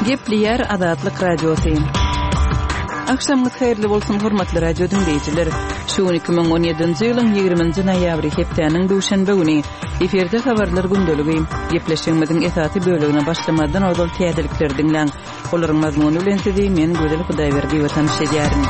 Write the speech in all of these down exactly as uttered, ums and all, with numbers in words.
Gepleýär Azatlyk Radiosy. Agşamyňyz haýyrly bolsun, hormatly radio diňleýjiler. Şu gün iki müň on ýedinji ýylyň ýigriminji noýabry, hepdäniň duşenbe güni. Efirde habarlar gündeligi. Gepleşigimiziň esasy bölegine başlamazdan ozal täzelikleri diňläň. Olaryň mazmuny bilen sizi men Gözel Hudaýberdiýewa tanyş edýärin.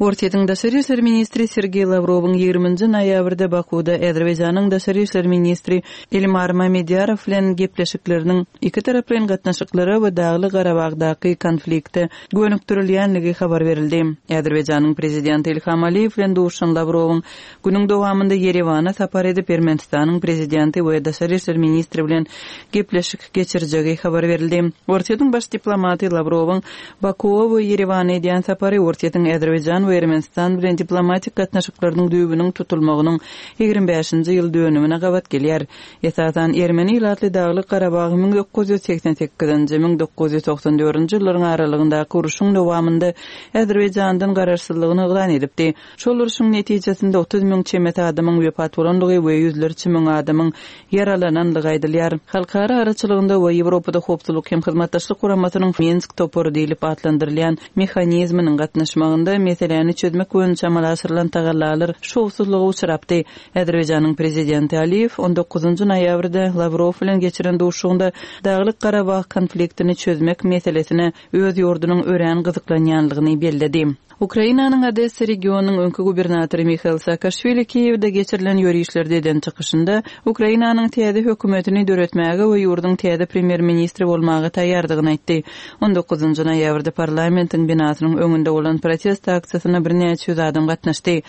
Orsýetiň daşary işler ministri Sergeý Lawrowyň ýigriminji noýabrda Bakuwda Azerbaýjanyň daşary işler ministri Elmar Mamedýarow bilen gepleşikleriniň iki taraplaýyn gatnaşyklara we Dagly Garabagdaky konflikte gönükdirilýänligi habar berildi. Azerbaýjanyň prezidenti Ilham Aliýew bilen duşan Lawrowyň günüň dowamynda Ýerewana sapar edip Ermenistanyň prezidenti we daşary işler ministri bilen gepleşik geçirjegi habar berildi. Orsýetiň baş diplomaty Lawrowyň Bakuwa we Ýerewana edýän sapary Orsýetiň Azerbaýjan we Ermenistan bilen diplomatik gatnaşyklarynyň düýbüniň tutulmagynyň ýigrimi bäşinji ýyl dönümine gabat gelýär. Esasan Ermeni ilatly Dagly Garabagy müň dokuz ýüz segsen sekizinji, müň dokuz ýüz togsan dördünji ýyllaryň aralygyndaky uruşyň dowamynda Azerbaýjandan garaşsyzlygyny yglan edipdi. Şol uruşyň netijesinde otuz müň çemesi adamyň wepat bolandygy we ýüzlerçe müň adamyň ýaralanandygy aýdylýar. Halkara araçylygynda we Ýewropada howpsuzlyk hem hyzmatdaşlyk guramasynyň Minsk topary diýlip atlandyrylýan mehanizminiň gatnaşmagynda meseläni çözmek boýunça amala aşyrylan tagallalar şowsuzlyga uçrapdy. Azerbaýjanyň prezidenti Aliýew on dokuzynjy noýabrda Lawrow bilen geçiren duşuşygynda Daglyk Garabag konfliktini çözmek meselesine öz ýurdunyň örän gyzyklanýanlygyny belledi. Ukrainanyň Odessa regionynyň öňki gubernatory Mihail Saakaşwili Kiýewde geçirilen ýörişlerde eden çykyşynda Ukrainanyň täze hökümetini döretmäge we ýurduň täze premýer-ministri bolmaga taýýardygyny aýtdy. on dokuzynjy noýabrda parlamentiň binasynyň öňünde bolan protest aksiýasyna birnäçe ýüz adam gatnaşdy.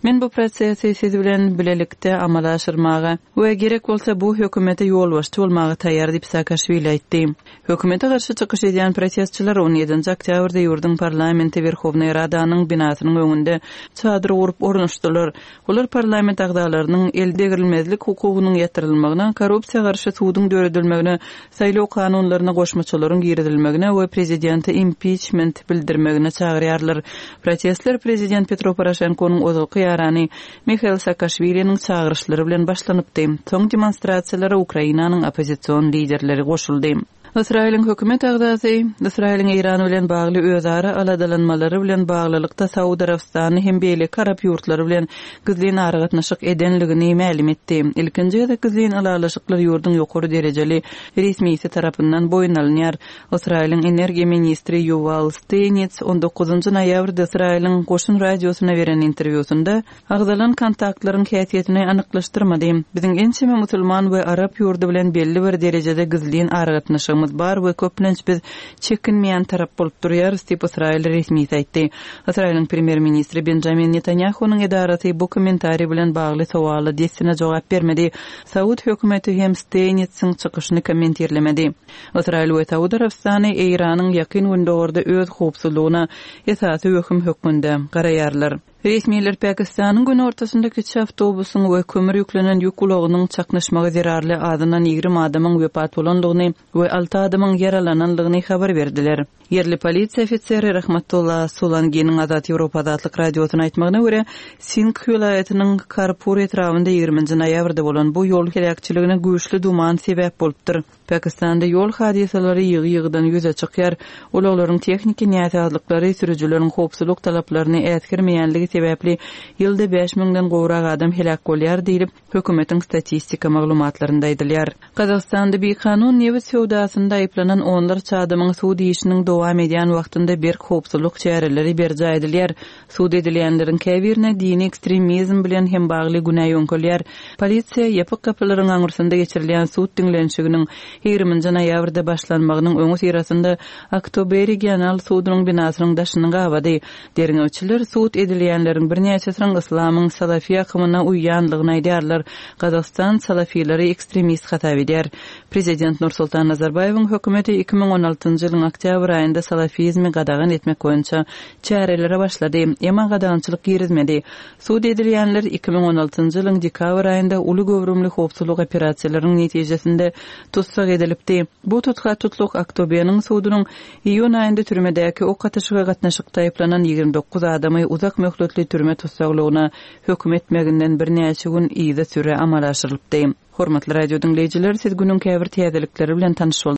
Men bu prosesi siz bilen bilelikde amala aşyrmaga we gerek bolsa bu hökümete ýolbaşçy bolmaga taýýar diýip Saakaşwili aýtdy. Hökümete garşy çykyş edýän protestçiler on ýedinji oktýabrda ýurduň parlamenti Werhownaý Radanyň binasynyň öňünde çadyr gurup ornaşdylar. Olar parlament agzalarynyň el degrilmezlik hukugynyň ýatyrylmagyna, korrupsiýa garşy suduň döredilmegine, saýlaw kanunlaryna goşmaçalaryň girizilmegine we prezidente impeachment bildirmegine çagyrýarlar. Protestler prezident Petro Poroşenkonyň ozalky ýarany Mihail Saakaşwiliniň çagyryşlary bilen başlanypdy. Soň demonstrasiýalara Ukrainanyň oppozision liderleri goşuldy. Ysraýylyň hökümet agzasy Ysraýylyň Eýran bilen bagly özara aladalanmalary bilen baglylykda Saud Arabystany hem beýleki arap ýurtlary bilen gizlin aragatnaşyk edenligini mälim etdi. Ilkinji gezek gizlin ylalaşyklar ýurduň ýokary derejeli resmisi tarapyndan boýun alynýar. Ysraýylyň energiýa ministri Ýuwal Steýnits on dokuzynjy noýabrda Ysraýylyň Goşun radiosyna beren interwýusynda agzalan kontaktlaryň häsiýetini anyklaşdyrmady. Biziň ençeme musulman we arap ýurdy bilen belli bir derejede gizlin aragatnaşygymyz bar we köplenç biz çekinmeýän tarap bolup durýarys diýip Ysraýyl resmisi aýtdy. Ysraýylyň premýer-ministri Benjamin Netanyahu'nyň edarasy bu kommentariý bilen bagly sowala dessine jogap bermedi. Saud hökümeti hem Steýnitsiň çykyşyny kommentirlemedi. Ysraýyl we Saud Arabystany Eýranyň ýakyn gündogurda öz howpsuzlygyna esasy wehim hökmünde garaýarlar. Resmiler Pakistanyň günortasynda kiçi awtobusyň we kömür ýüklenen ýük ulagynyň çaknyşmagy zerarly azyndan ýigrimi adamyň wepat bolandygyny we alty adamyň ýaralanandygyny habar berdiler. Ýerli polisiýa ofiseri Rahmatullah Sulanginiň Azat Ýewropa Azatlyk radiosyna aýtmagyna görä, Singh welaýatynyň Karpur etrabynda ýigriminji noýabrda bolan bu ýol heläkçiligine güýçli duman sebäp bolupdyr. Pakistanda ýol hadysalary ýygy-ýygydan ýüze çykýar. Ulaglaryň tehniki näsazlyklary sürüjileriň howpsuzlyk talaplaryny äsgermeýänligi sebäpli ýylda bäş müňden gowrak adam heläk bolýar diýlip, hökümetiň statistika maglumatlarynda aýdylýar. Gazagystanda bikanun nebit söwdasynda aýyplanan onlarça adamyň sud işiniň dowam edýän wagtynda berk howpsuzlyk çäreleri berjaý edilýär. Sud edilýänleriň käbirine dini ekstremizm bilen hem bagly günä ýöňkelýär. Polisiýa ýapyk gapylaryň aňyrsynda geçirilýän sud diňlenişiginiň ýigriminji noýabrda başlanmagynyň öňi syrasynda Aktobe regional sudunyň binasynyň daşyny gabady. Derňewçiler sud edilýänleriň birnäçesiniň islamyň salafi akymyna uýýanlygyny aýdýarlar. Gazagystan salafileri ekstremist hasap edýär. Prezident Nursultan Nazarbaýewiň hökümeti iki müň on altynjy ýylyň oktýabr aýynda salafizmi gadagan etmek boýunça çärelere başlady. Emma gadagançylyk girizmedi. Sud edilýänler iki müň on altynjy ýylyň dekabr aýynda uly göwrümli howpsuzlyk operasiýalarynyň netijesinde tussag edilipdi. Bu tutga tutluk Aktobeniň sudunyň iýun aýynda türmedäki ok atyşyga gatnaşykda aýyplanan ýigrimi dokuz adamy uzak möhletli türme tussaglygyna höküm etmeginden birnäçe gün yza süre amala aşyrylypdy. Hormatly radio diňleýjiler, siz günüň käbir täzelikleri bilen tanyş bolduňyz.